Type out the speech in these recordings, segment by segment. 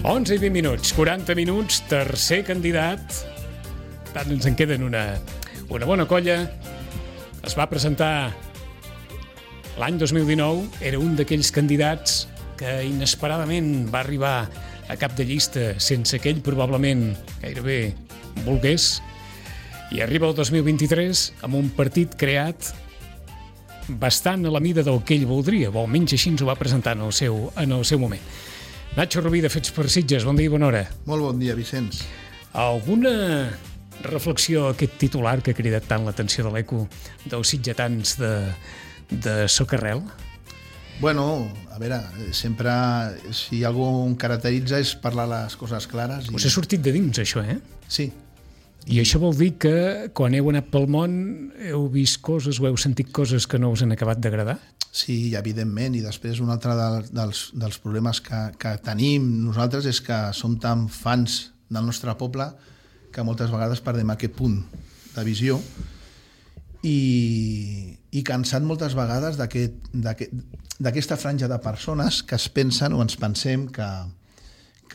11 i 20 minuts, 40 minuts, tercer candidat. Tant ens en queden una bona colla. Es va presentar l'any 2019, era un d'aquells candidats que inesperadament va arribar a cap de llista sense que ell probablement gairebé volgués, i arriba el 2023 amb un partit creat bastant a la mida del que ell voldria, o almenys així ens ho va presentar en el seu moment. Nacho Rubí, de Fets per Sitges, bon dia i bona hora. Molt bon dia, Vicenç. Alguna reflexió a aquest titular que ha cridat tant l'atenció de l'eco dels sitgetans de Socarrel? Bueno, a veure, sempre, si algú em caracteritza és parlar les coses clares. Us ha sortit de dins, això, eh? Sí. I això vol dir que quan heu anat pel món heu vist coses o heu sentit coses que no us han acabat d'agradar? Sí, evidentment, i després un altre dels problemes que tenim nosaltres és que som tan fans del nostre poble que moltes vegades perdem aquest punt de visió i cansat moltes vegades d'aquesta franja de persones que es pensen o ens pensem que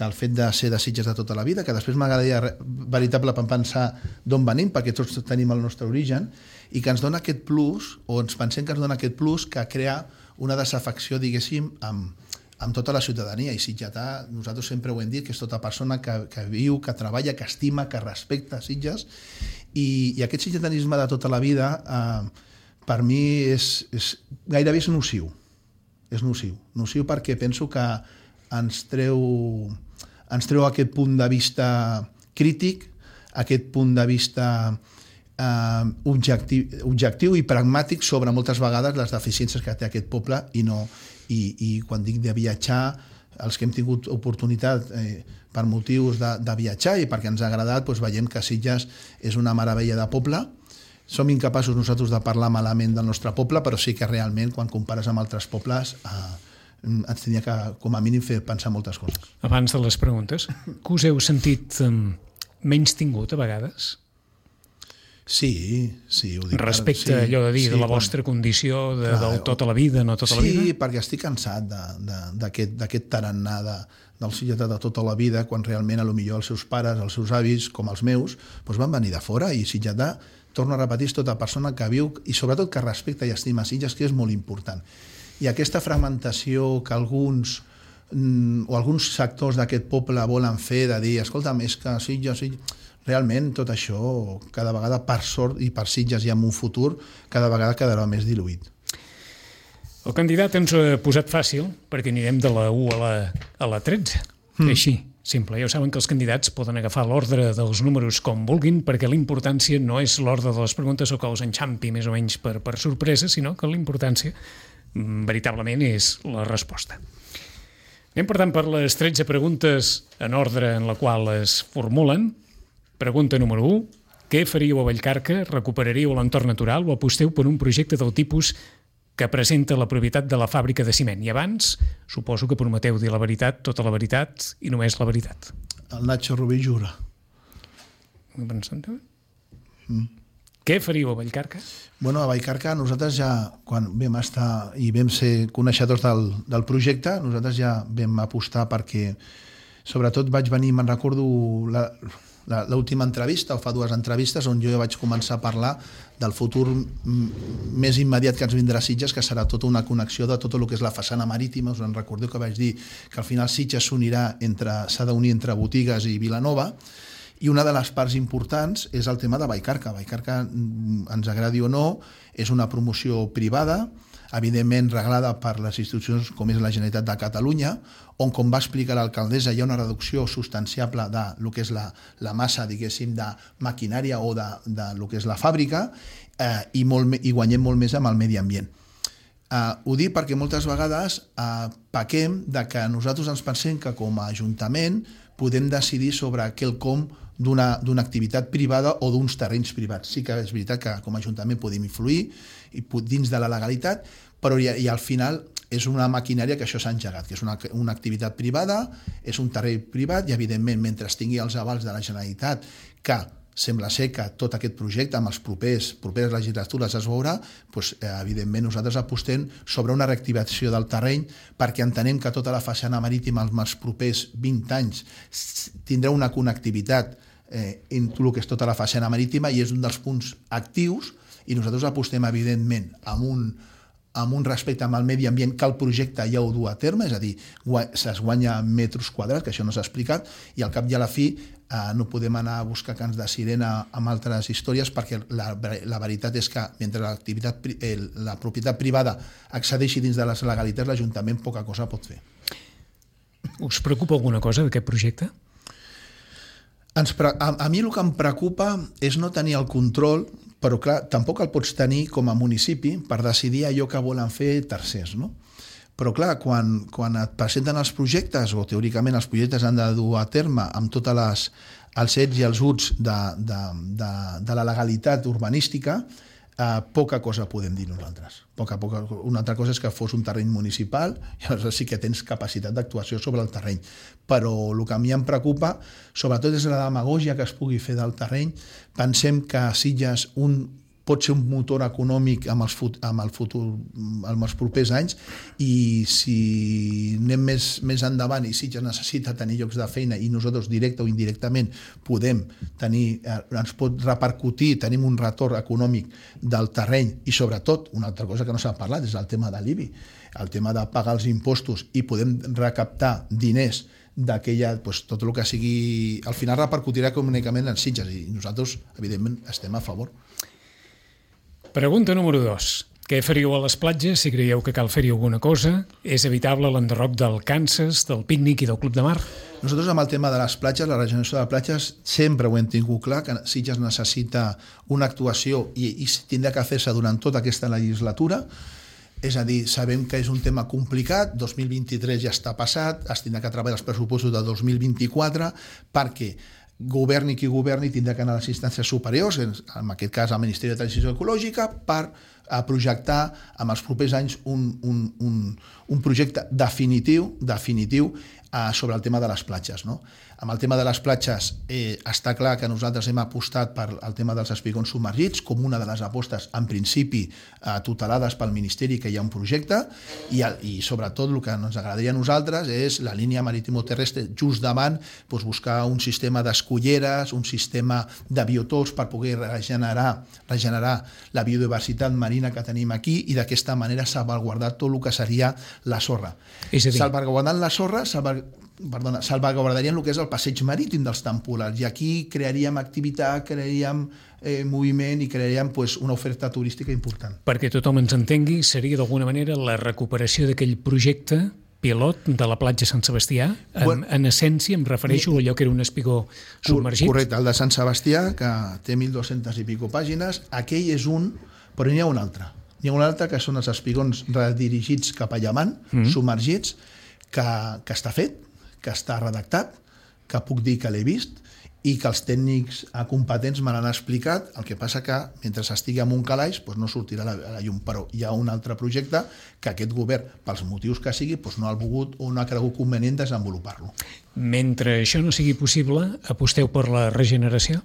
el fet de ser de Sitges de tota la vida, que després m'agradaria veritablement pensar d'on venim, perquè tots tenim el nostre origen, i que ens dona aquest plus, o ens pensem que ens dona aquest plus que crea una desafecció, diguéssim, amb tota la ciutadania. I sitgetà, nosaltres sempre ho hem dit, que és tota persona que viu, que treballa, que estima, que respecta Sitges, i aquest sitgetanisme de tota la vida, per mi, gairebé és nociu. És nociu perquè penso que ens treu aquest punt de vista crític, aquest punt de vista objectiu i pragmàtic sobre moltes vegades les deficiències que té aquest poble i quan dic de viatjar, els que hem tingut oportunitat per motius de viatjar i perquè ens ha agradat, doncs veiem que Sitges és una meravella de poble. Som incapaços nosaltres de parlar malament del nostre poble, però sí que realment quan compares amb altres pobles ens tenia que, com a mínim, fer pensar moltes coses. Abans de les preguntes, que us heu sentit menys tingut a vegades? Sí, ho dic. Respecte a allò de dir de la vostra condició, de tota la vida, no tota la vida? Sí, perquè estic cansat d'aquest tarannà del sitgetà de tota la vida, quan realment potser els seus pares, els seus avis, com els meus, van venir de fora, i sitgetà, torno a repetir, és tota persona que viu i sobretot que respecta i estima Sitges, que és molt important. I aquesta fragmentació que alguns sectors d'aquest poble volen fer, de dir, escolta'm, és que Sitges... Realment tot això, cada vegada, per sort i per Sitges i en un futur, cada vegada quedarà més diluït. El candidat ens ho ha posat fàcil, perquè anirem de la 1 a la 13. Així, simple. Ja ho saben que els candidats poden agafar l'ordre dels números com vulguin, perquè l'importància no és l'ordre de les preguntes o que els enxampi més o menys per sorpresa, sinó que l'importància veritablement és la resposta. Anem, per tant, per les 13 preguntes en ordre en la qual es formulen. Pregunta número 1. Què faríeu a Vallcarca? Recuperaríeu l'entorn natural o aposteu per un projecte del tipus que presenta la propietat de la fàbrica de ciment? I abans, suposo que prometeu dir la veritat, tota la veritat i només la veritat. El Nacho Rubí jura. Què faríeu a Vallcarca? Bueno, a Vallcarca nosaltres ja, quan vam estar i vam ser coneixedors del projecte, nosaltres ja vam apostar perquè, sobretot vaig venir, me'n recordo, l'última entrevista, o fa 2 entrevistes, on jo vaig començar a parlar del futur més immediat que ens vindrà a Sitges, que serà tota una connexió de tot el que és la façana marítima. Us en recordeu que vaig dir que al final Sitges s'ha d'unir entre Botigues i Vilanova, i una de les parts importants és el tema de Vallcarca. Vallcarca, ens agradi o no, és una promoció privada, evidentment reglada per les institucions com és la Generalitat de Catalunya, on, com va explicar l'alcaldessa, hi ha una reducció substanciable de lo que és la massa, diguéssim, de maquinària o de lo que és la fàbrica, i guanyem molt més amb el medi ambient. Ho dic perquè moltes vegades pequem de que nosaltres ens pensem que com a Ajuntament podem decidir sobre quelcom d'una activitat privada o d'uns terrenys privats. Sí que és veritat que com a Ajuntament podem influir dins de la legalitat, però i al final és una maquinària que això s'ha engegat, que és una activitat privada, és un terreny privat i, evidentment, mentre tingui els avals de la Generalitat, que sembla ser que tot aquest projecte amb les properes legislatures es veurà, doncs, evidentment nosaltres apostem sobre una reactivació del terreny perquè entenem que tota la façana marítima els propers 20 anys tindrà una connectivitat en tot el que és tota la façana marítima i és un dels punts actius i nosaltres apostem evidentment amb un respecte amb el medi ambient que el projecte ja ho du a terme, és a dir, es guanya metres quadrats, que això no s'ha explicat, i al cap i a la fi no podem anar a buscar cants de sirena amb altres històries perquè la veritat és que mentre la propietat privada accedeixi dins de les legalitats, l'Ajuntament poca cosa pot fer. Us preocupa alguna cosa d'aquest projecte? A mi el que em preocupa és no tenir el control, però clar, tampoc el pots tenir com a municipi per decidir allò que volen fer tercers, no? Però clar, quan et presenten els projectes, o teòricament els projectes han de dur a terme amb tots els ets i els uts de la legalitat urbanística, poca cosa podem dir nosaltres. Una altra cosa és que fos un terreny municipal i aleshores sí que tens capacitat d'actuació sobre el terreny. Però el que a mi em preocupa, sobretot és la demagògia que es pugui fer del terreny. Pensem que Sitges pot ser un motor econòmic amb els propers anys i si anem més endavant i Sitges necessita tenir llocs de feina i nosaltres directe o indirectament ens pot repercutir, tenim un retorn econòmic del terreny i sobretot, una altra cosa que no s'ha parlat és el tema de l'IBI, el tema de pagar els impostos i podem recaptar diners d'aquella, tot el que sigui, al final repercutirà econòmicament en Sitges i nosaltres, evidentment, estem a favor. Pregunta número 2. Què faríeu a les platges si creieu que cal fer-hi alguna cosa? És evitable l'enderroc del Kansas, del pícnic i del Club de Mar? Nosaltres amb el tema de les platges, la regeneració de platges, sempre ho hem tingut clar, que Sitges necessita una actuació i tindrà que fer-se durant tota aquesta legislatura. És a dir, sabem que és un tema complicat, 2023 ja està passat, es tindrà que treballar els pressupostos de 2024 perquè governi qui governi tindrà que anar a les instàncies superiors, en aquest cas al Ministeri de Transició Ecològica, per projectar en els propers anys un projecte definitiu sobre el tema de les platges. No? Amb el tema de les platges està clar que nosaltres hem apostat per el tema dels espigons submergits com una de les apostes, en principi, tutelades pel Ministeri, que hi ha un projecte, i sobretot el que ens agradaria a nosaltres és la línia maritimoterrestre just davant, buscar un sistema d'escolleres, un sistema de biotops per poder regenerar la biodiversitat marina que tenim aquí i d'aquesta manera salvaguardar tot el que seria la sorra. Salvaguardant la sorra, salvaguardarien el que és el passeig marítim dels temporals i aquí crearíem activitat, crearíem moviment i crearíem una oferta turística important. Perquè tothom ens entengui, seria d'alguna manera la recuperació d'aquell projecte pilot de la platja Sant Sebastià. En essència em refereixo a allò que era un espigó submergit. Correcte, el de Sant Sebastià, que té 1.200 i pico pàgines, aquell és un, però n'hi ha un altre. N'hi ha un altre que són els espigons redirigits cap a llevant, submergits, que està fet, que està redactat, que puc dir que l'he vist i que els tècnics competents me l'han explicat, el que passa que mentre estigui en un calaix no sortirà a la llum, però hi ha un altre projecte que aquest govern, pels motius que sigui, no ha volgut o no ha cregut convenient desenvolupar-lo. Mentre això no sigui possible, aposteu per la regeneració?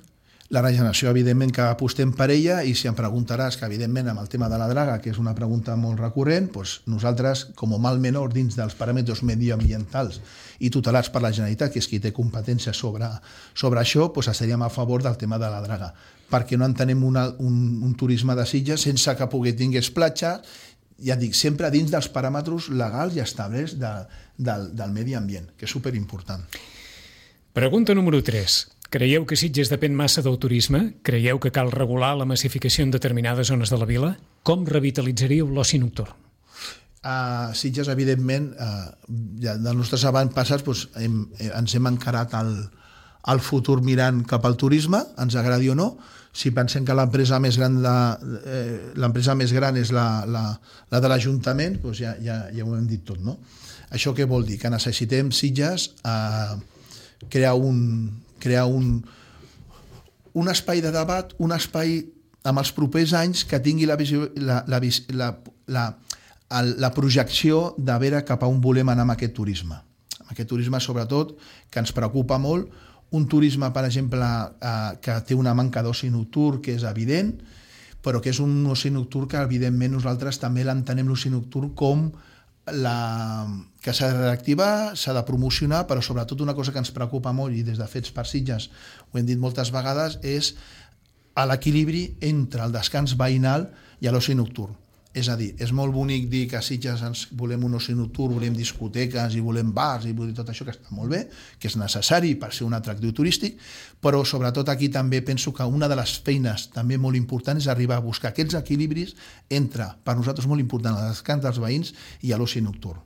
La regeneració, evidentment, que apostem per ella i si em preguntaràs que, evidentment, amb el tema de la draga, que és una pregunta molt recurrent, nosaltres, com a mal menor dins dels paràmetres medioambientals i tutelats per la Generalitat, que és qui té competència sobre això, estaríem a favor del tema de la draga, perquè no entenem un turisme de Sitges sense que pugui tingués platja, ja dic, sempre dins dels paràmetres legals i establerts del medi ambient, que és superimportant. Pregunta número 3. Creieu que Sitges depèn massa del turisme? Creieu que cal regular la massificació en determinades zones de la vila? Com revitalitzaríeu l'oci nocturn? A Sitges, evidentment, dels nostres avantpassats ens hem encarat al futur mirant cap al turisme, ens agradi o no. Si pensem que l'empresa més gran és la de l'Ajuntament, ja ho hem dit tot, no? Això què vol dir? Que necessitem Sitges crear un espai de debat, un espai amb els propers anys que tingui la projecció de veure cap a on volem anar amb aquest turisme. Amb aquest turisme, sobretot, que ens preocupa molt, un turisme, per exemple, que té una manca d'oci nocturn, que és evident, però que és un oci nocturn que, evidentment, nosaltres també l'entenem l'oci nocturn com que s'ha de reactivar, s'ha de promocionar, però sobretot una cosa que ens preocupa molt, i des de Fets per Sitges ho hem dit moltes vegades, és l'equilibri entre el descans veïnal i l'oci nocturn. És a dir, és molt bonic dir que a Sitges ens volem un oci nocturn, volem discoteques i volem bars i volem tot això, que està molt bé, que és necessari per ser un atractiu turístic, però sobretot aquí també penso que una de les feines també molt importants és arribar a buscar aquests equilibris entre, per nosaltres molt important, el descans dels veïns i l'oci nocturn.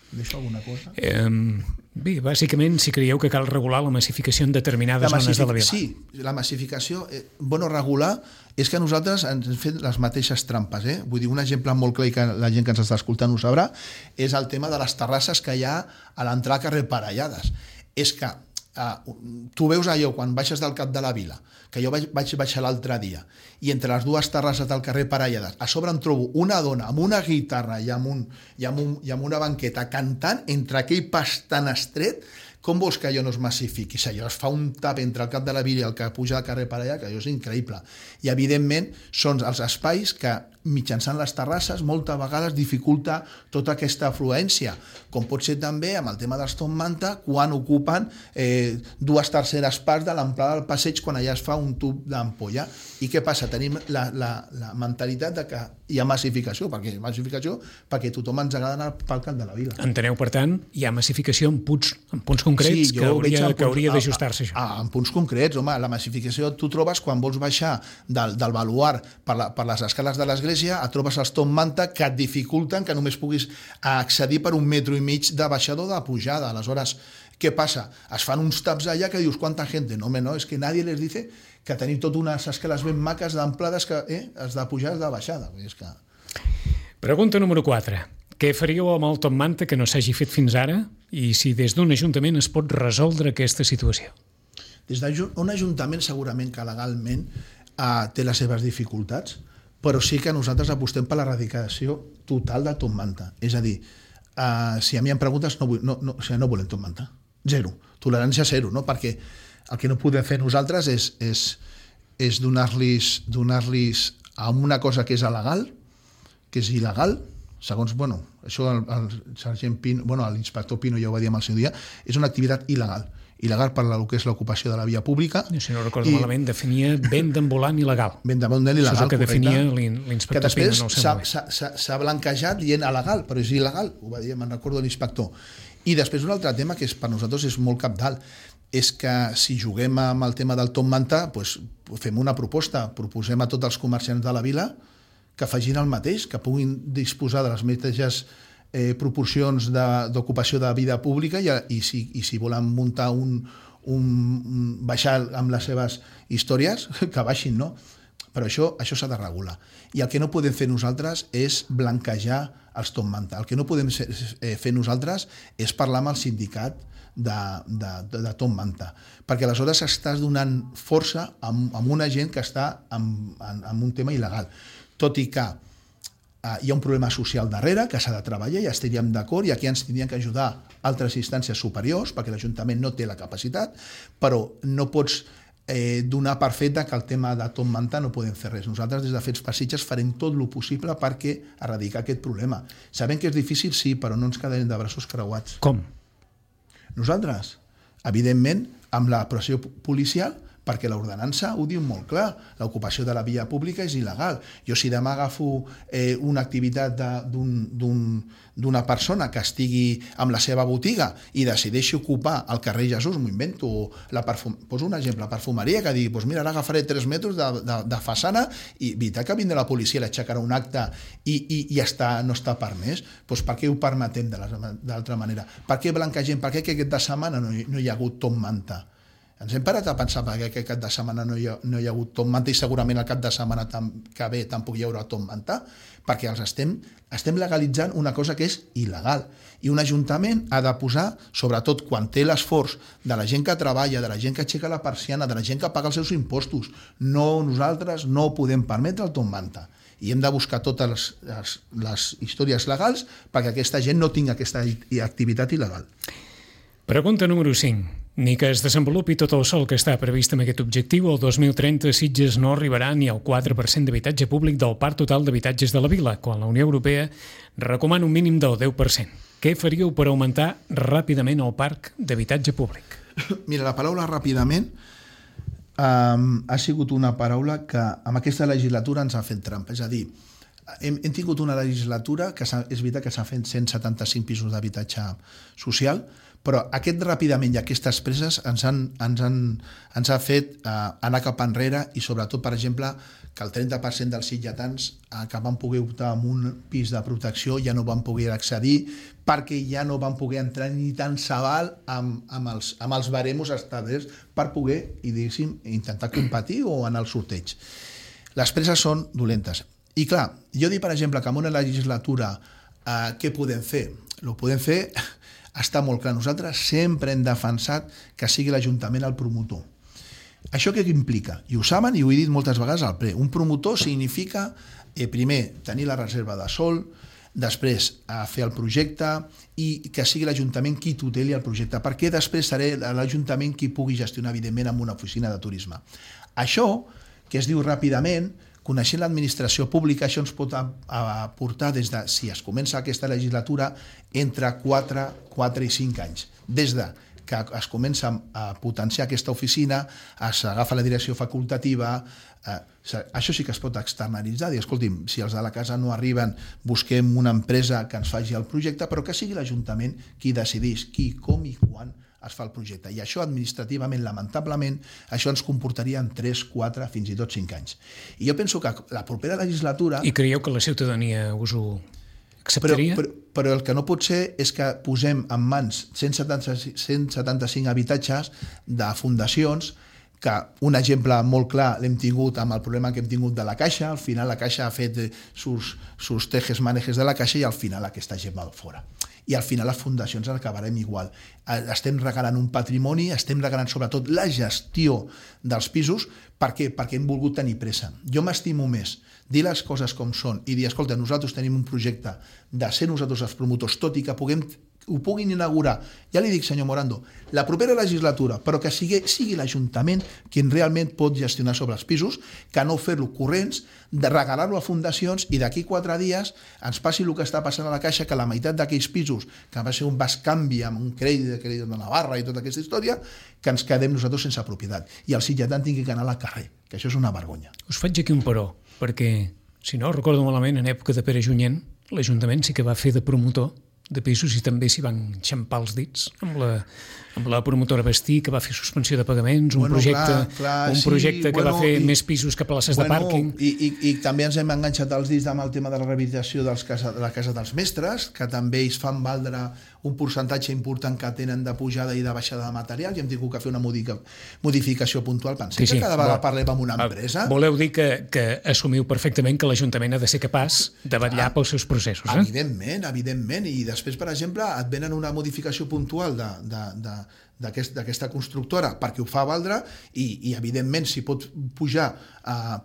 Deixo alguna cosa? Bé, bàsicament, si creieu que cal regular la massificació en determinades zones de la vila. Sí, la massificació, regular, és que nosaltres ens hem fet les mateixes trampes. Vull dir, un exemple molt clar, i que la gent que ens està escoltant ho sabrà, és el tema de les terrasses que hi ha a l'entrada al carrer Parellades. És que tu veus allò quan baixes del cap de la vila, que jo vaig baixar l'altre dia, i entre les dues terrasses del carrer Parellades, a sobre em trobo una dona amb una guitarra i amb una banqueta cantant entre aquell pas tan estret. Com vols que allò no es massifiqui? Si allò es fa un tap entre el cap de la vila i el que puja al carrer Parellades, que allò és increïble. I, evidentment, són els espais que, mitjançant les terrasses, moltes vegades dificulta tota aquesta afluència, com pot ser també amb el tema dels Top Manta, quan ocupen 2/3 parts de l'amplada del passeig quan allà es fa un tub d'ampolla. I què passa? Tenim la mentalitat de que hi ha massificació, perquè tothom ens agrada anar pel cap de la vila. Enteneu, per tant, hi ha massificació en punts concrets, sí, que hauria d'ajustar-se això. En punts concrets, home, la massificació tu trobes quan vols baixar del baluard per les escales de l'església, et trobes els Top Manta que et dificulten que només puguis accedir per 1,5 metres de baixada o de pujada. Aleshores, què passa? Es fan uns taps allà que dius, quanta gent? No, home, no, és que nadie les dice que tenim tot unes escales ben maques d'amplades que has de pujar, has de baixada. És que... Pregunta número 4. Què faríeu amb el Top Manta que no s'hagi fet fins ara i si des d'un ajuntament es pot resoldre aquesta situació? Des d'un ajuntament segurament que legalment té les seves dificultats, però sí que nosaltres apostem per l'erradicació total de Top Manta. És a dir, si a mi em preguntes, no volem Top Manta. Zero. Tolerància zero, no? Perquè el que no podem fer nosaltres és donar-los a una cosa que és il·legal, segons, això el sergent Pino, l'inspector Pino ja ho va dir en el seu dia, és una activitat il·legal per el que és l'ocupació de la via pública. Si no recordo malament, definia venda ambulant il·legal. Venda ambulant il·legal, això és el que correcte. definia l'inspector Pino. Que després s'ha blanquejat dient il·legal, però és il·legal, ho va dir, me'n recordo l'inspector. I després un altre tema que per nosaltres és molt cabdal, és que si juguem amb el tema del Top Manta, fem una proposta, proposem a tots els comerciants de la vila que facin el mateix, que puguin disposar de les mateixes proporcions d'ocupació de vida pública i si volen muntar baixar amb les seves històries, que baixin, no? Però això s'ha de regular. I el que no podem fer nosaltres és blanquejar els Top Manta. El que no podem fer nosaltres és parlar amb el sindicat de Top Manta, perquè aleshores estàs donant força a una gent que està en un tema il·legal. Tot i que hi ha un problema social darrere que s'ha de treballar i estaríem d'acord i aquí ens tindrien que ajudar altres instàncies superiors perquè l'Ajuntament no té la capacitat, però no pots donar per fet que el tema de Top Manta no podem fer res. Nosaltres des de Fets per Sitges farem tot el possible perquè erradicar aquest problema. Sabem que és difícil, sí, però no ens quedarem de braços creuats. Com? Nosaltres, evidentment, amb la pressió policial, perquè l'ordenança ho diu molt clar, l'ocupació de la via pública és il·legal. Jo si demà agafo una activitat d'una persona que estigui amb la seva botiga i decideixi ocupar el carrer Jesús, m'ho invento, poso un exemple, la perfumeria, que digui, mira, ara agafaré 3 metres de façana i veritat que vindrà la policia, l'aixecarà un acte i no està permès, per què ho permetem d'altra manera? Per què blanquegem? Per què aquest de setmana no hi ha hagut Top Manta? Ens hem parat a pensar perquè aquest cap de setmana no hi ha hagut Top Manta i segurament el cap de setmana que ve tampoc hi haurà Top Manta, perquè els estem legalitzant una cosa que és il·legal. I un ajuntament ha de posar, sobretot quan té l'esforç de la gent que treballa, de la gent que aixeca la persiana, de la gent que paga els seus impostos, nosaltres no podem permetre el Top Manta. I hem de buscar totes les històries legals perquè aquesta gent no tingui aquesta activitat il·legal. Pregunta número 5. Ni que es desenvolupi tot el sol que està previst amb aquest objectiu, el 2030 Sitges no arribarà ni al 4% d'habitatge públic del parc total d'habitatges de la vila, quan la Unió Europea recomana un mínim del 10%. Què faríeu per augmentar ràpidament el parc d'habitatge públic? Mira, la paraula ràpidament ha sigut una paraula que amb aquesta legislatura ens ha fet trampa. És a dir, hem tingut una legislatura que és veritat que s'ha fet 175 pisos d'habitatge social, però aquest ràpidament i aquestes presses ens ha fet anar cap enrere i sobretot, per exemple, que el 30% dels sitgetans que van poder optar en un pis de protecció ja no van poder accedir perquè ja no van poder entrar ni tan s'aval amb els baremos establerts per poder, i diguéssim, intentar competir o anar al sorteig. Les presses són dolentes. I clar, jo dic, per exemple, que en una legislatura què podem fer? El podem fer, està molt clar. Nosaltres sempre hem defensat que sigui l'Ajuntament el promotor. Això què implica? I ho saben i ho he dit moltes vegades al ple. Un promotor significa, primer, tenir la reserva de sòl, després fer el projecte i que sigui l'Ajuntament qui tuteli el projecte, perquè després seré l'Ajuntament qui pugui gestionar, evidentment, amb una oficina de turisme. Això, que es diu ràpidament, coneixent l'administració pública, això ens pot aportar des de, si es comença aquesta legislatura, entre 4 i 5 anys. Des de que es comença a potenciar aquesta oficina, s'agafa la direcció facultativa, això sí que es pot externalitzar, dir, escolti'm, si els de la casa no arriben, busquem una empresa que ens faci el projecte, però que sigui l'Ajuntament qui decidís qui, com i quan es fa el projecte. I això administrativament, lamentablement, això ens comportaria en 3, 4, fins i tot 5 anys. I jo penso que la propera legislatura... I creieu que la ciutadania us ho acceptaria? Però el que no pot ser és que posem en mans 175 habitatges de fundacions que un exemple molt clar l'hem tingut amb el problema que hem tingut de la Caixa. Al final la Caixa ha fet sus tejes manejes de la Caixa i al final aquesta gent va fora. I al final les fundacions acabarem igual. Estem regalant un patrimoni, estem regalant sobretot la gestió dels pisos. Per què? Perquè hem volgut tenir pressa. Jo m'estimo més dir les coses com són i dir, escolta, nosaltres tenim un projecte de ser nosaltres els promotors, tot i que ho puguin inaugurar, ja li dic, senyor Morando, la propera legislatura, però que sigui l'Ajuntament qui realment pot gestionar sobre els pisos, que no fer-lo corrents, de regalar-lo a fundacions i d'aquí 4 dies ens passi el que està passant a la Caixa, que la meitat d'aquells pisos, que va ser un bascanvi amb un crèdit de Navarra i tota aquesta història, que ens quedem nosaltres sense propietat i el sitgetant tingui que anar al carrer, que això és una vergonya. Us faig aquí un però, perquè, si no recordo malament, en època de Pere Junyent, l'Ajuntament sí que va fer de promotor de pisos i també s'hi van xampar els dits amb la promotora Bastí, que va fer suspensió de pagaments, un projecte que va fer més pisos que places de pàrquing. I també ens hem enganxat els dits amb el tema de la rehabilitació de la Casa dels Mestres, que també ells fan valdre un percentatge important que tenen de pujada i de baixada de material, i hem tingut que fer una modificació puntual. Pensem que cada vegada parlem amb una empresa. Voleu dir que assumiu perfectament que l'Ajuntament ha de ser capaç de vetllar pels seus processos, eh? Evidentment. I després, per exemple, et venen una modificació puntual d'aquesta constructora perquè ho fa valdre i evidentment, si pot pujar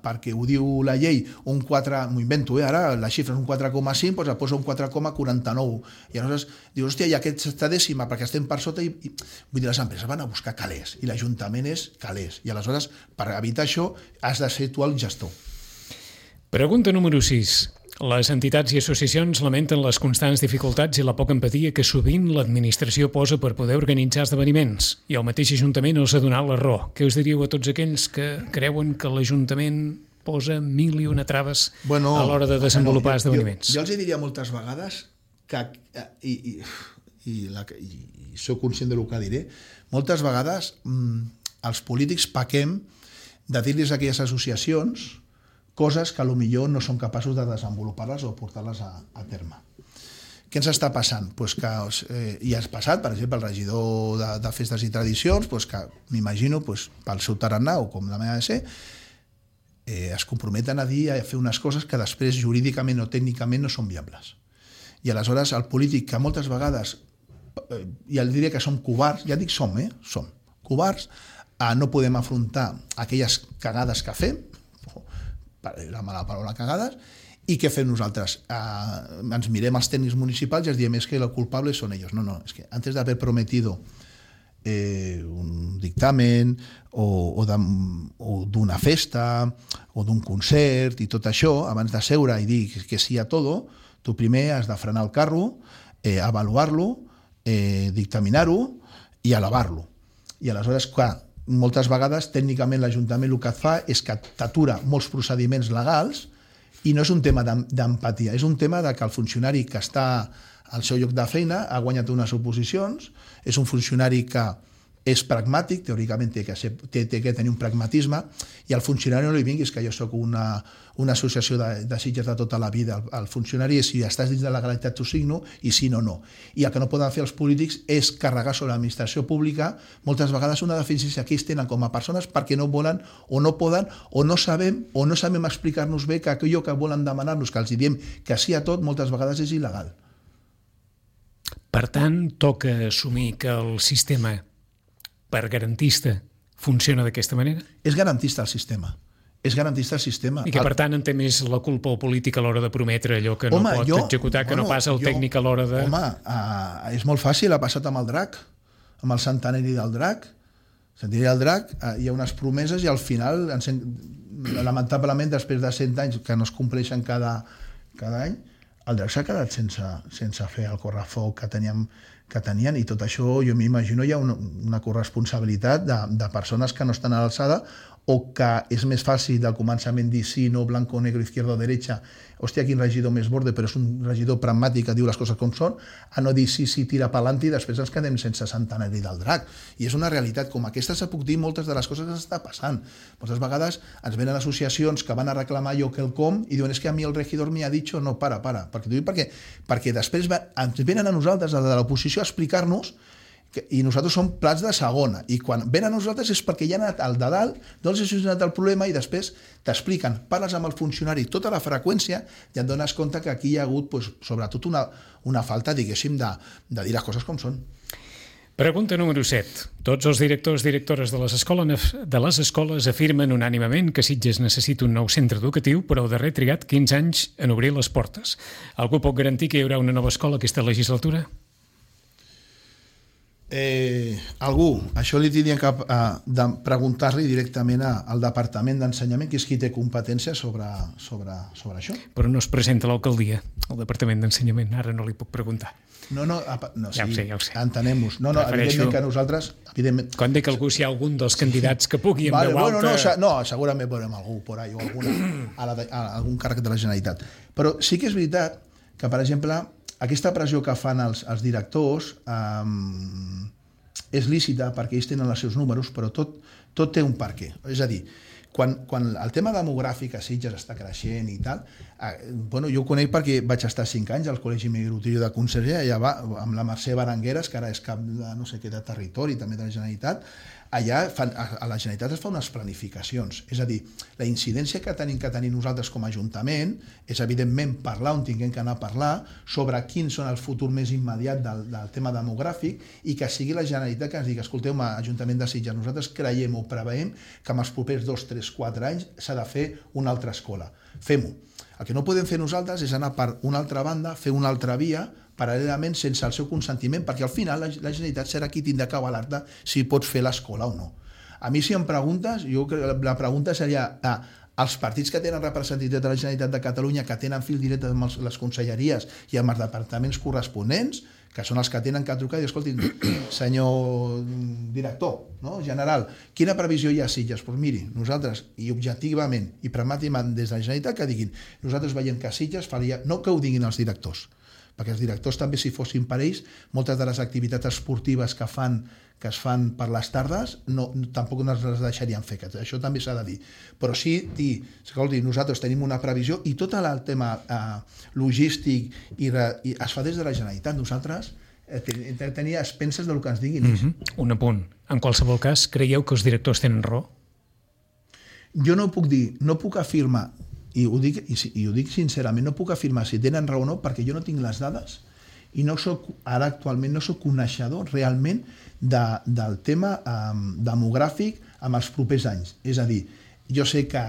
perquè ho diu la llei un 4, m'ho invento, ara la xifra és un 4,5, doncs et posa un 4,49 i aleshores dius, hòstia, i aquesta dècima perquè estem per sota vull dir, les empreses van a buscar calés i l'Ajuntament és calés i aleshores per evitar això has de ser tu el gestor. Pregunta número 6. Les entitats i associacions lamenten les constants dificultats i la poca empatia que sovint l'administració posa per poder organitzar esdeveniments i el mateix Ajuntament els ha donat la raó. Què us diríeu a tots aquells que creuen que l'Ajuntament posa 1000 i una traves a l'hora de desenvolupar esdeveniments? Jo els diria moltes vegades que, i soc conscient del que diré, moltes vegades els polítics pequem de dir-los a aquelles associacions coses que potser no són capaços de desenvolupar-les o portar-les a terme. Què ens està passant? Pues que ja has passat, per exemple, el regidor de festes i tradicions, pues que m'imagino pel seu tarannà o com la meva de ser, es comprometen a dir, a fer unes coses que després jurídicament o tècnicament no són viables. I aleshores el polític, que moltes vegades, ja diria que som covards, ja dic som covards, no podem afrontar aquelles cagades que fem, la mala paraula cagades, i què fem nosaltres? Ens mirem els tècnics municipals i els diem que els culpables són ells. No, és que antes de haber prometido un dictamen o d'una festa o d'un concert i tot això, abans de seure i dir que sí a tot, tu primer has de frenar el carro, avaluar-lo, dictaminar-ho i elevar-lo. I aleshores, clar, moltes vegades tècnicament l'Ajuntament el que et fa és que t'atura molts procediments legals i no és un tema d'empatia, és un tema de que el funcionari que està al seu lloc de feina ha guanyat unes oposicions, és un funcionari que és pragmàtic, teòricament té que tenir un pragmatisme, i al funcionari no li vinguis que jo soc una associació de Sitges de tota la vida. El funcionari és si estàs dins de la legalitat t'ho signo i si no, no. I el que no poden fer els polítics és carregar sobre l'administració pública moltes vegades una deficiència que ells tenen com a persones perquè no volen o no poden o no sabem explicar-nos bé que allò que volen demanar-nos, que els diem que sí a tot, moltes vegades és il·legal. Per tant, toca assumir que el sistema per garantista funciona d'aquesta manera? És garantista el sistema. És garantista el sistema. I que, per tant, en té més la culpa el polític a l'hora de prometre allò que no pot executar, que no passa el tècnic a l'hora de... Home, és molt fàcil, ha passat amb el drac, amb el centenari del drac. El centenari del drac, hi ha unes promeses i al final, lamentablement, després de 100 anys que no es compleixen cada any, el drac s'ha quedat sense fer el correfoc que tenien, i tot això, jo m'imagino, hi ha una corresponsabilitat de persones que no estan a l'alçada o que és més fàcil del començament dir sí, no, blanco, negro, izquierda o derecha, hòstia, quin regidor més borde, però és un regidor pragmàtic que diu les coses com són, a no dir sí, tira pa'lant i després ens quedem sense centenari del drac. I és una realitat com aquesta, se puc dir moltes de les coses que s'està passant. Moltes vegades ens venen associacions que van a reclamar allò que el com i diuen, és que a mi el regidor m'ha dit, no, para, perquè després ens venen a nosaltres, de l'oposició, a explicar-nos i nosaltres som plats de segona, i quan venen a nosaltres és perquè ja ha anat al de dalt, doncs ha solucionat el problema i després t'expliquen, parles amb el funcionari tota la freqüència i et dones compte que aquí hi ha hagut sobretot una falta, diguéssim, de dir les coses com són. Pregunta número 7. Tots els directors i directores de les escoles afirmen unànimement que Sitges necessita un nou centre educatiu, però el darrer trigat 15 anys en obrir les portes. Algú pot garantir que hi haurà una nova escola aquesta legislatura? Algú, això li tindria que preguntar-li directament al Departament d'Ensenyament, que és qui té competència sobre això. Però no es presenta a l'alcaldia, al Departament d'Ensenyament, ara no li puc preguntar. No, ja ho sé. Entenem-nos. No, evidentment que nosaltres... Quan dic algú, si hi ha algun dels candidats que pugui en veu alta... No, segurament veurem algú por ahí, o algun càrrec de la Generalitat. Però sí que és veritat que, per exemple, aquesta pressió que fan els directors és lícita perquè ells tenen els seus números, però tot té un perquè. És a dir, quan el tema demogràfic a Sitges està creixent i tal, jo ho conec perquè vaig estar 5 anys al Col·legi Migratiu de Conselleria, allà va, amb la Mercè Berengueres, que ara és cap de no sé què de territori, també de la Generalitat. Allà a la Generalitat es fa unes planificacions, és a dir, la incidència que tenim nosaltres com a Ajuntament és evidentment parlar on tinguem que anar a parlar sobre quins són el futur més immediat del tema demogràfic i que sigui la Generalitat que ens digui, escolteu, Ajuntament de Sitges, nosaltres creiem o preveiem que en els propers 2, 3, 4 anys s'ha de fer una altra escola. Fem-ho. El que no podem fer nosaltres és anar per una altra banda, fer una altra via, paral·lelament sense el seu consentiment, perquè al final la Generalitat serà qui tindrà que avalar-te si pots fer l'escola o no. A mi, si em preguntes, jo crec que la pregunta seria als partits que tenen representativitat de la Generalitat de Catalunya, que tenen fil directe amb les conselleries i amb els departaments corresponents, que són els que tenen que trucar i dir, escolti, senyor director, general, quina previsió hi ha a Sitges? Doncs miri, nosaltres, i objectivament i pragmàticament des de la Generalitat, que diguin, nosaltres veiem que a Sitges faria, no que ho diguin els directors, perquè els directors també, si fossin per ells, moltes de les activitats esportives que es fan per les tardes tampoc no les deixarien fer, això també s'ha de dir, però sí dir, escolti, nosaltres tenim una previsió i tot el tema logístic i es fa des de la Generalitat. Nosaltres tenir expenses del que ens diguin. Un apunt. En qualsevol cas, creieu que els directors tenen raó? Jo no puc dir, no puc afirmar, i ho dic sincerament, no puc afirmar si tenen raó o no, perquè jo no tinc les dades i ara actualment no soc coneixedor realment del tema demogràfic en els propers anys. És a dir, jo sé que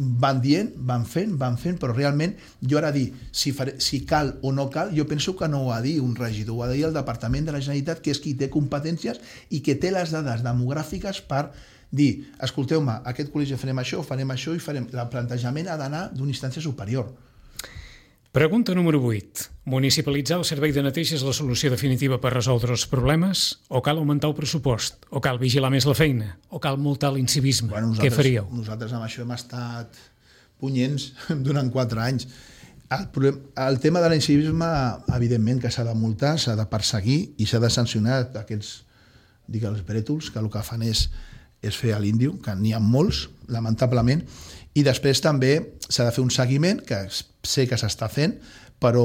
van dient, van fent, però realment jo ara dir si cal o no cal, jo penso que no ho ha de dir un regidor, ho ha de dir el Departament de la Generalitat, que és qui té competències i que té les dades demogràfiques per dir, escolteu-me, aquest col·legi farem això i farem... El plantejament ha d'anar d'una instància superior. Pregunta número 8. Municipalitzar el servei de neteja és la solució definitiva per resoldre els problemes? O cal augmentar el pressupost? O cal vigilar més la feina? O cal multar l'incivisme? Què faríeu? Nosaltres amb això hem estat punyents durant 4 anys. El tema de l'incivisme, evidentment que s'ha de multar, s'ha de perseguir i s'ha de sancionar aquests, els brètols, que el que fan és fer a l'índio, que n'hi ha molts, lamentablement, i després també s'ha de fer un seguiment, que sé que s'està fent, però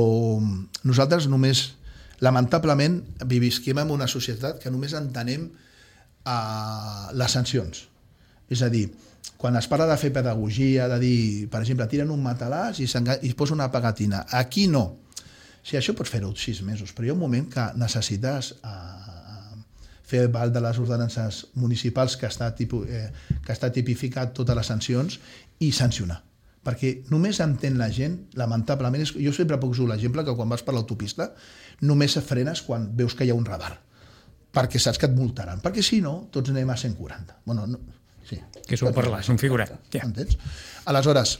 nosaltres només, lamentablement, visquem en una societat que només entenem les sancions. És a dir, quan es parla de fer pedagogia, de dir, per exemple, tiren un matalàs i es posa una pegatina. Aquí no. O sigui, això pots fer-ho 6 mesos, però hi ha un moment que necessites fer val de les ordenances municipals que està tipificat totes les sancions i sancionar. Perquè només entén la gent, lamentablement, jo sempre poso l'exemple que quan vas per l'autopista només frenes quan veus que hi ha un radar, perquè saps que et multaran, perquè si no, tots anem a 140. Bueno, no, sí. Que s'ho parlar, és un figurat. Ja. Entens? Aleshores,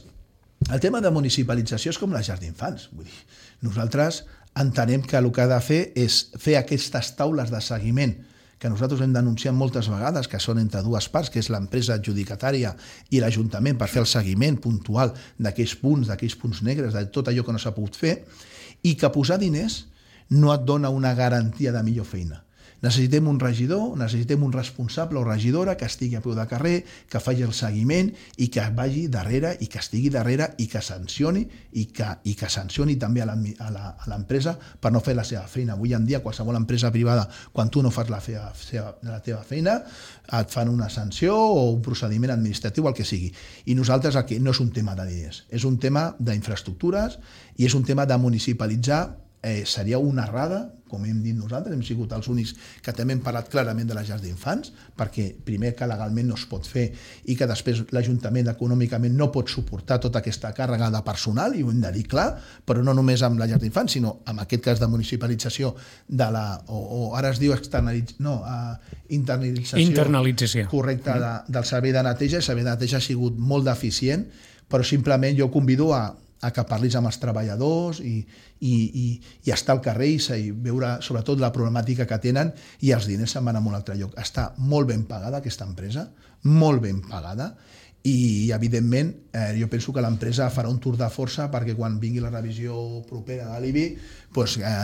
el tema de municipalització és com les llars d'infants. Vull dir, nosaltres entenem que el que ha de fer és fer aquestes taules de seguiment que nosaltres hem denunciat moltes vegades, que són entre dues parts, que és l'empresa adjudicatària i l'Ajuntament, per fer el seguiment puntual d'aquells punts negres, de tot allò que no s'ha pogut fer, i que posar diners no et dona una garantia de millor feina. Necessitem un regidor, necessitem un responsable o regidora que estigui a peu de carrer, que faci el seguiment i que vagi darrere i que estigui darrere i que sancioni i que sancioni també a l'empresa per no fer la seva feina. Avui en dia, qualsevol empresa privada, quan tu no fas la teva feina, et fan una sanció o un procediment administratiu, el que sigui. I nosaltres aquí no és un tema de diners, és un tema d'infraestructures i és un tema de municipalitzar. Seria una errada, com hem dit nosaltres, hem sigut els únics que també hem parlat clarament de les llars d'infants, perquè primer que legalment no es pot fer i que després l'Ajuntament econòmicament no pot suportar tota aquesta càrrega de personal, i ho hem de dir clar, però no només amb la llar d'infants, sinó en aquest cas de municipalització de o ara es diu internalització correcta del servei de neteja. El servei de neteja ha sigut molt deficient, però simplement jo convido a que parlis amb els treballadors i estar al carrer i veure sobretot la problemàtica que tenen, i els diners se'n van a un altre lloc. Està molt ben pagada aquesta empresa, molt ben pagada, i evidentment jo penso que l'empresa farà un tour de força perquè quan vingui la revisió propera de l'IBI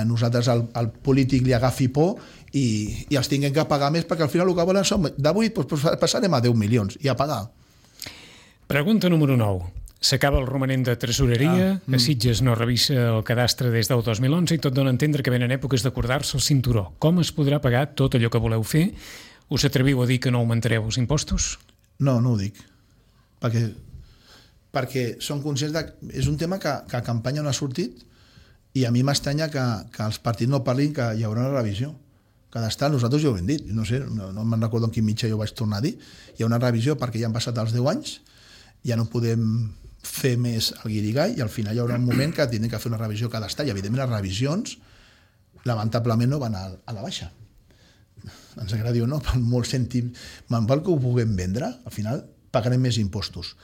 nosaltres al polític li agafi por i els tinguem que pagar més, perquè al final el que volen són d'avui passarem a 10 milions i a pagar. Pregunta número 9. S'acaba el romanent de tresoreria, a Sitges no revisa el cadastre des del 2011 i tot dona a entendre que venen èpoques d'acordar-se el cinturó. Com es podrà pagar tot allò que voleu fer? Us atreviu a dir que no augmentareu els impostos? No, no ho dic. Perquè som conscients que és un tema que a campanya no ha sortit i a mi m'estranya que els partits no parlin que hi haurà una revisió cadastral. Nosaltres ja ho hem dit, no sé, no me'n recordo en quin mitjà jo vaig tornar a dir. Hi ha una revisió perquè ja han passat els 10 anys, ja no podem fer més el guirigall i al final hi haurà un moment que tindrem que fer una revisió cadastral i evidentment les revisions lamentablement no van a la baixa. Ens agradi o no, per molt cèntim, pel que ho puguem vendre, al final pagarem més impostos.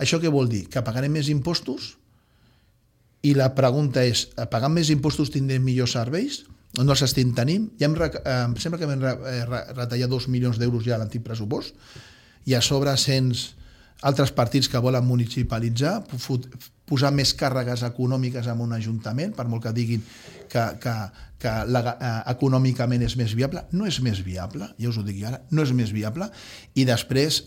Això què vol dir? Que pagarem més impostos i la pregunta és, pagant més impostos tindrem millors serveis? No els estem tenint? Em sembla que vam retallar 2 milions d'euros ja a l'antic pressupost i a sobre altres partits que volen municipalitzar, posar més càrregues econòmiques en un ajuntament, per molt que diguin que econòmicament és més viable. No és més viable, ja us ho dic ara, no és més viable. I després,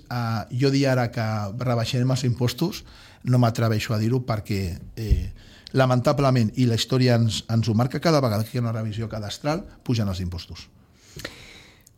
jo dir ara que rebaixarem els impostos, no m'atreveixo a dir-ho perquè lamentablement, i la història ens ho marca, cada vegada que hi ha una revisió cadastral, pugen els impostos.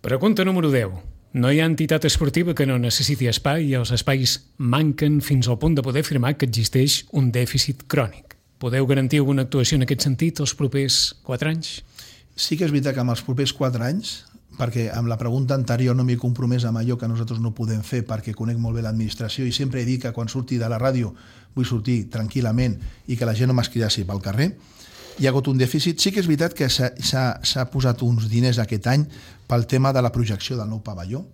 Pregunta número 10. No hi ha entitat esportiva que no necessiti espai i els espais manquen fins al punt de poder afirmar que existeix un dèficit crònic. Podeu garantir alguna actuació en aquest sentit els propers 4 anys? Sí que és veritat que en els propers 4 anys perquè amb la pregunta anterior no m'he compromès amb allò que nosaltres no podem fer perquè conec molt bé l'administració i sempre he dit que quan surti de la ràdio vull sortir tranquil·lament i que la gent no m'escridassi pel carrer. Hi ha hagut un dèficit. Sí que és veritat que s'ha posat uns diners aquest any pel tema de la projecció del nou pavelló,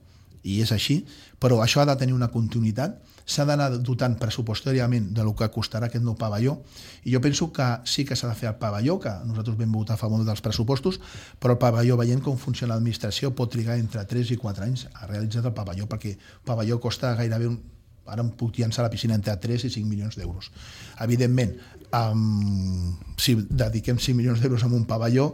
i és així, però això ha de tenir una continuïtat, s'ha d'anar dotant pressupostàriament del que costarà aquest nou pavelló, i jo penso que sí que s'ha de fer el pavelló, que nosaltres vam votar a favor dels pressupostos, però el pavelló, veient com funciona l'administració, pot trigar entre 3 i 4 anys a realitzar el pavelló, perquè el pavelló costa gairebé ara em puc llançar la piscina entre 3 i 5 milions d'euros. Evidentment, si dediquem 5 milions d'euros a un pavelló,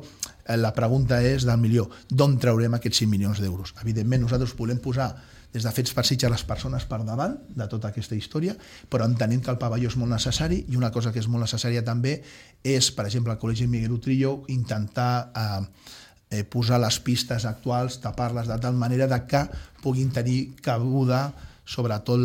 la pregunta és del milió, d'on traurem aquests 5 milions d'euros? Evidentment, nosaltres volem posar des de Fets per Sitges les persones per davant de tota aquesta història, però entenent que el pavelló és molt necessari, i una cosa que és molt necessària també és, per exemple, al Col·legi Miguel Utrillo, intentar posar les pistes actuals, tapar-les de tal manera que puguin tenir cabuda sobretot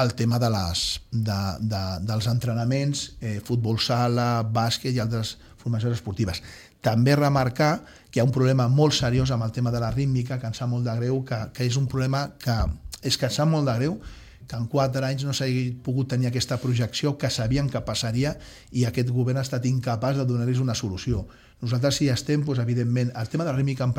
el tema dels entrenaments, futbol sala, bàsquet i altres formacions esportives. També remarcar que hi ha un problema molt seriós amb el tema de la rítmica, que ens sap molt de greu, que és un problema que ens sap molt de greu, que en 4 anys no s'hagi pogut tenir aquesta projecció que sabien que passaria i aquest govern ha estat incapaç de donar-los una solució. Nosaltres sí estem, doncs, evidentment, el tema de la rítmica em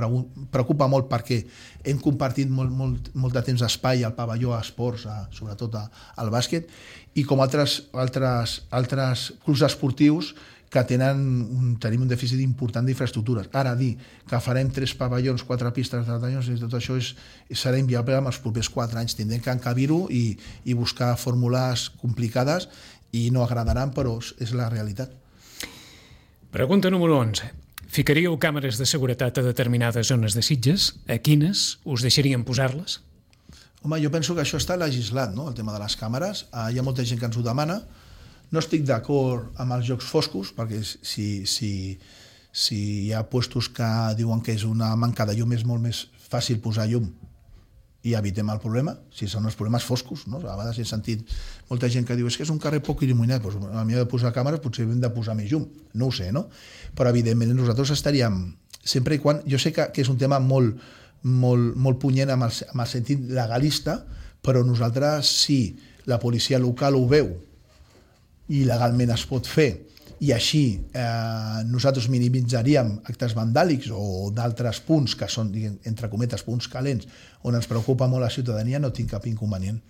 preocupa molt perquè hem compartit molt de temps d'espai al pavelló a esports, sobretot al bàsquet, i com altres clubs esportius que tenim un dèficit important d'infraestructures. Ara dir que farem 3 pavellons, 4 pistes de tallons, tot això serà inviable en els propers 4 anys. Tindrem que encabir-ho i buscar fórmules complicades i no agradaran, però és la realitat. Pregunta número 11. Ficaríeu càmeres de seguretat a determinades zones de Sitges? A quines? Us deixarien posar-les? Home, jo penso que això està legislat, no?, el tema de les càmeres. Hi ha molta gent que ens ho demana. No estic d'acord amb els jocs foscos, perquè si hi ha puestos que diuen que és una manca de llum, és molt més fàcil posar llum i evitem el problema, si són els problemes foscos, no? A vegades he sentit molta gent que diu és que és un carrer poc il·luminat, doncs a mi de posar càmeres potser hem de posar més llum, no ho sé, no? Però evidentment nosaltres estaríem, sempre i quan, jo sé que és un tema molt punyent amb el sentit legalista, però nosaltres, si la policia local ho veu i legalment es pot fer, i així nosaltres minimitzaríem actes vandàlics o d'altres punts que són, entre cometes, punts calents, on ens preocupa molt la ciutadania, no tinc cap inconvenient.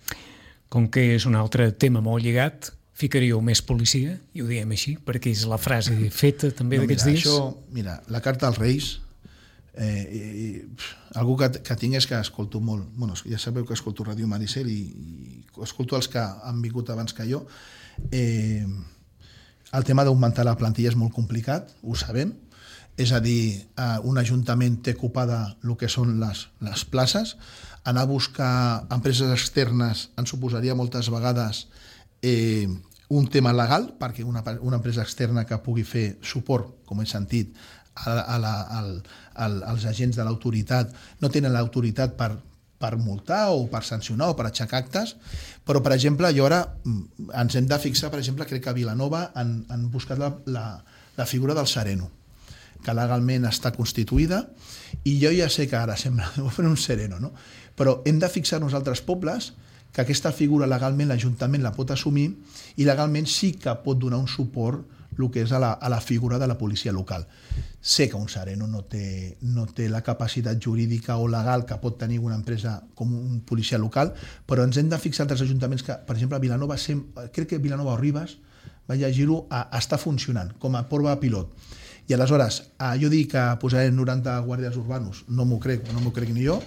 Com que és un altre tema molt lligat, ficaríeu més policia, i ho diem així, perquè és la frase feta també d'aquests dies? Mira, la carta als Reis, algú que tinc és que escolto molt, bueno, ja sabeu que escolto Ràdio Maricel i escolto els que han vingut abans que jo. El tema d'augmentar la plantilla és molt complicat, ho sabem, és a dir, un ajuntament té ocupada el que són les places, anar a buscar empreses externes ens suposaria moltes vegades un tema legal, perquè una empresa externa que pugui fer suport, com he sentit, als agents de l'autoritat no tenen l'autoritat per multar o per sancionar o per aixecar actes, però, per exemple, jo ara ens hem de fixar, per exemple, crec que a Vilanova han buscat la figura del sereno, que legalment està constituïda, i jo ja sé que ara sembla un sereno, no? Però hem de fixar-nos altres pobles que aquesta figura legalment l'Ajuntament la pot assumir i legalment sí que pot donar un suport el que és a la figura de la policia local. Sé que un sereno no té la capacitat jurídica o legal que pot tenir una empresa com un policia local, però ens hem de fixar altres ajuntaments que, per exemple, a Vilanova, crec que Vilanova o Ribes, vaig llegir-ho, està funcionant com a prova pilot. I aleshores, jo dic que posarem 90 guàrdies urbanos, no m'ho crec ni jo,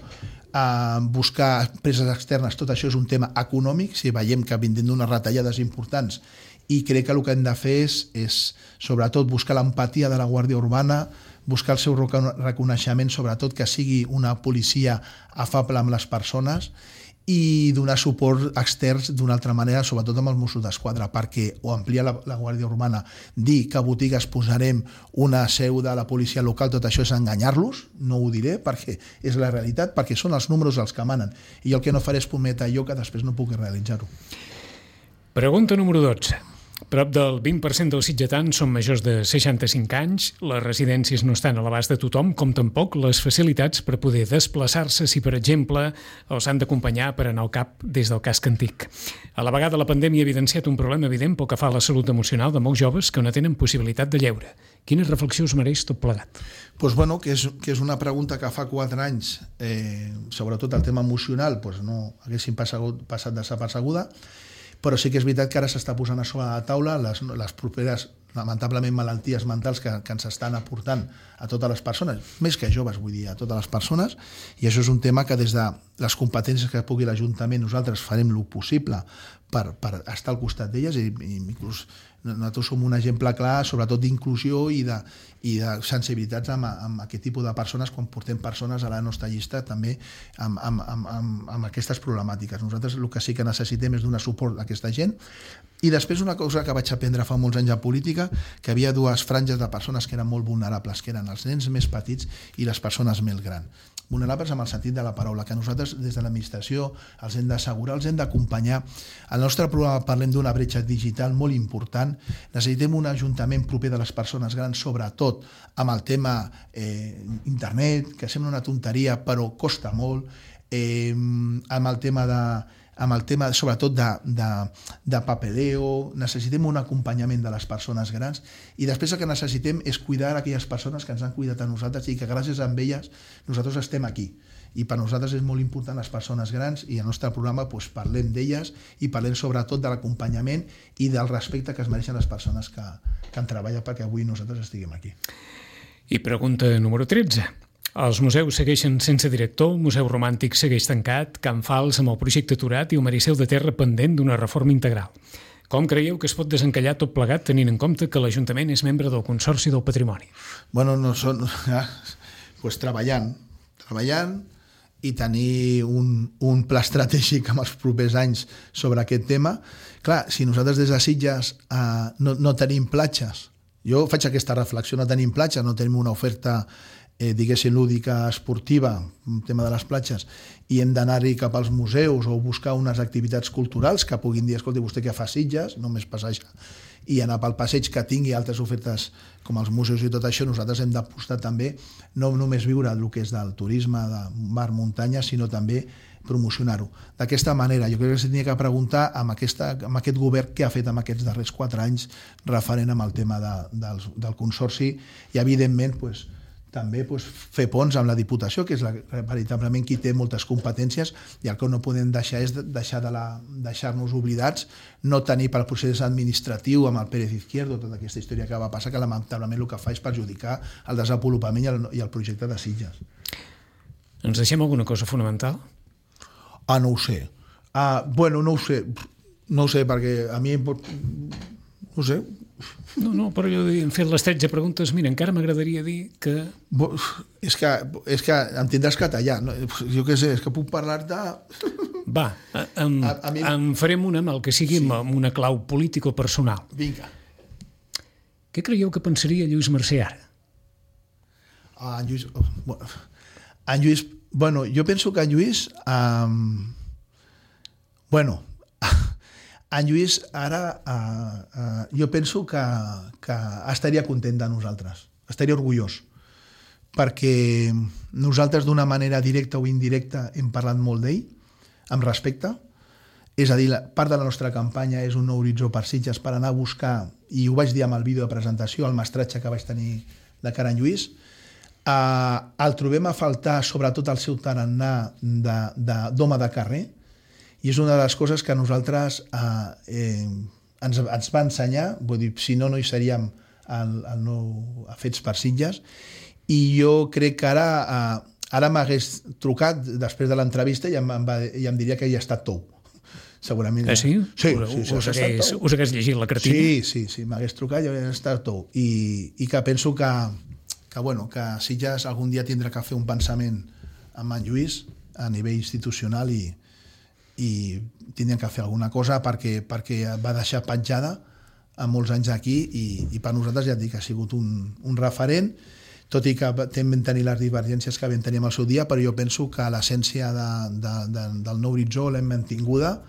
buscar empreses externes, tot això és un tema econòmic, si veiem que vindrem d'unes retallades importants, i crec que el que hem de fer és sobretot buscar l'empatia de la Guàrdia Urbana, buscar el seu reconeixement, sobretot que sigui una policia afable amb les persones i donar suport externs d'una altra manera, sobretot amb els Mossos d'Esquadra, perquè o ampliar la Guàrdia Urbana, dir que a botigues posarem una seu de la policia local, tot això és enganyar-los, no ho diré perquè és la realitat, perquè són els números els que manen, i el que no faré és prometre allò que després no puc realitzar-ho. Pregunta número 12. Prop del 20% dels sitgetans són majors de 65 anys, les residències no estan a l'abast de tothom, com tampoc les facilitats per poder desplaçar-se si, per exemple, els han d'acompanyar per anar al CAP des del casc antic. A la vegada, la pandèmia ha evidenciat un problema evident pel que fa a la salut emocional de molts joves que no tenen possibilitat de lleure. Quina reflexió us mereix tot plegat? Pues bueno, que és una pregunta que fa 4 anys, sobretot el tema emocional, pues no haguéssim passat desapercebuda, però sí que és veritat que ara s'està posant a sobre la taula les properes, lamentablement, malalties mentals que ens estan aportant a totes les persones, més que joves, vull dir, a totes les persones, i això és un tema que des de les competències que pugui l'Ajuntament nosaltres farem el possible per estar al costat d'elles, i inclús nosaltres som un exemple clar, sobretot d'inclusió i de sensibilitats amb aquest tipus de persones quan portem persones a la nostra llista també amb aquestes problemàtiques. Nosaltres el que sí que necessitem és donar suport a aquesta gent. I després una cosa que vaig aprendre fa molts anys a política, que hi havia 2 franges de persones que eren molt vulnerables, que eren els nens més petits i les persones més grans. Vulnerables amb el sentit de la paraula, que nosaltres des de l'administració els hem d'assegurar, els hem d'acompanyar. Al nostre programa parlem d'una bretxa digital molt important. Necessitem un ajuntament proper de les persones grans, sobretot amb el tema internet, que sembla una tonteria però costa molt, amb el tema sobretot de papeleo. Necessitem un acompanyament de les persones grans, i després el que necessitem és cuidar aquelles persones que ens han cuidat a nosaltres i que gràcies a elles nosaltres estem aquí. I per nosaltres és molt important les persones grans, i al nostre programa parlem d'elles i parlem sobretot de l'acompanyament i del respecte que es mereixen les persones que han treballat perquè avui nosaltres estiguem aquí. I pregunta número 13. Els museus segueixen sense director, el Museu Romàntic segueix tancat, Can Fals amb el projecte aturat i el Maricel de Terra pendent d'una reforma integral. Com creieu que es pot desencallar tot plegat tenint en compte que l'Ajuntament és membre del Consorci del Patrimoni? Bueno, no són... Pues treballant i tenir un pla estratègic en els propers anys sobre aquest tema. Clar, si nosaltres des de Sitges no tenim platges, jo faig aquesta reflexió, no tenim platges, no tenim una oferta diguéssim lúdica, esportiva, un tema de les platges, i hem d'anar-hi cap als museus o buscar unes activitats culturals que puguin dir, escolta, vostè què fa a Sitges? Només passejar i anar pel passeig que tingui altres ofertes com els museus i tot això. Nosaltres hem d'apostar també no només viure el que és del turisme de mar, muntanya, sinó també promocionar-ho. D'aquesta manera, jo crec que s'hauria que preguntar amb aquest govern què ha fet en aquests darrers 4 anys referent amb el tema del Consorci, i evidentment també fer ponts amb la Diputació, que és veritablement qui té moltes competències, i el que no podem deixar és deixar-nos oblidats, no tenir pel procés administratiu amb el Pérez Izquierdo, tota aquesta història que va passar, que lamentablement el que fa és perjudicar el desenvolupament i el projecte de Sitges. Ens deixem alguna cosa fonamental? No ho sé. Bueno, no ho sé, perquè a mi... No ho sé. No, però jo he fet les 13 preguntes. Mira, encara m'agradaria dir que... És que em tindràs que tallar. No? Jo què sé, és que puc parlar-te... Va, en farem una amb el que sigui, amb una clau política o personal. Vinga. Què creieu que pensaria Lluís Mercè ara? En Lluís... Bueno, jo penso que en Lluís... En Lluís ara jo penso que estaria content de nosaltres, estaria orgullós, perquè nosaltres d'una manera directa o indirecta hem parlat molt d'ell, amb respecte, és a dir, part de la nostra campanya és un nou horitzó per Sitges, per anar a buscar, i ho vaig dir amb el vídeo de presentació, el mestratge que vaig tenir de cara a en Lluís, el trobem a faltar sobretot el seu tarannà d'home de carrer, i és una de les coses que nosaltres ens va ensenyar, vull dir, si no hi seríem el nou Fets per Sitges, i jo crec que ara m'hagués trucat després de l'entrevista i em diria que ja està tou. Segurament. Sí? Sí. Us hagués llegit la cartina? Sí, m'hagués trucat i ja està tou. I que penso que Sitges algun dia tindrà que fer un pensament amb en Lluís a nivell institucional i tindrien que fer alguna cosa perquè va deixar petjada a molts anys aquí, i per nosaltres ja et dic que ha sigut un referent, tot i que vam tenir les divergències que vam tenir en el seu dia, però jo penso que l'essència del nou horitzó l'hem mantinguda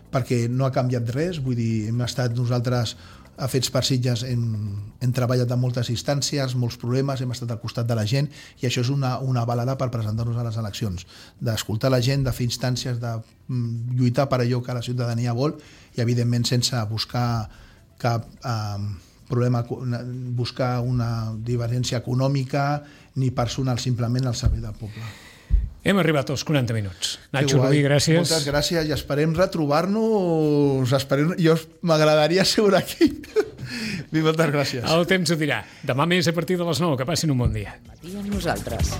perquè no ha canviat res. Vull dir, hem estat nosaltres Fets per Sitges hem treballat en moltes instàncies, molts problemes, hem estat al costat de la gent i això és una avalada per presentar-nos a les eleccions, d'escoltar la gent, de fer instàncies, de lluitar per allò que la ciutadania vol i evidentment sense buscar cap problema, buscar una divergència econòmica ni personal, simplement al servei del poble. Hem arribat als 40 minuts. Nacho Rubí, gràcies. Moltes gràcies i esperem retrobar-nos. Jo m'agradaria seure aquí. Moltes gràcies. El temps ho dirà. Demà més a partir de les 9. Que passin un bon dia. Matí amb nosaltres.